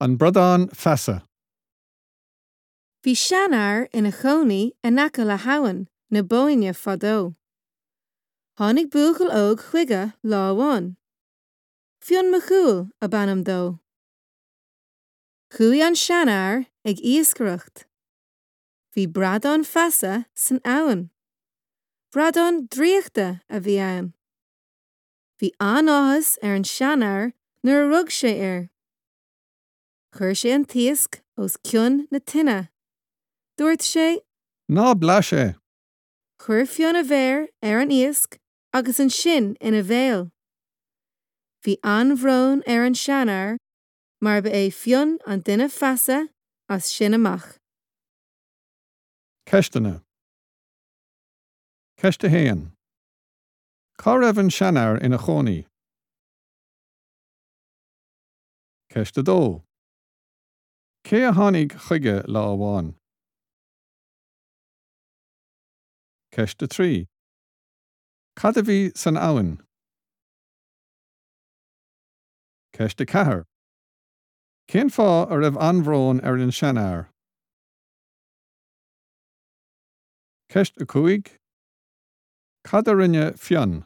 An Bradán Feasa. Bhí seanfhear ina chónaí in aice le habhainn na Bóinne fadó. Tháinig buachaill óg chuige lá amháin. Fionn Mac Cumhaill ab ainm dó. Chuaigh an seanfhear ag iascaireacht. Bhí bradán feasa san abhainn. Bradán draíochta a bhí ann. Bhí an-áthas ar an seanfhear nuair a rug sé air. Chuir sé an t-iasc os cionn na tine. Dúirt sé. Ná blais é! Chuir Fionn a mhéar ar an iasc agus ansin ina bhéal. Bhí an-bhrón ar an seanfhear mar ba é Fionn an duine feasa as sin amach. Ceisteanna. Ceist 1. Cá raibh an seanfhear ina chónaí? Ceist 2. Cé a tháinig chuige lá amháin? Ceist 3. Cad a bhí san abhainn? Ceist 4. Cén fáth a raibh an-bhrón ar an seanfhear? Ceist 5. Cad a rinne Fionn?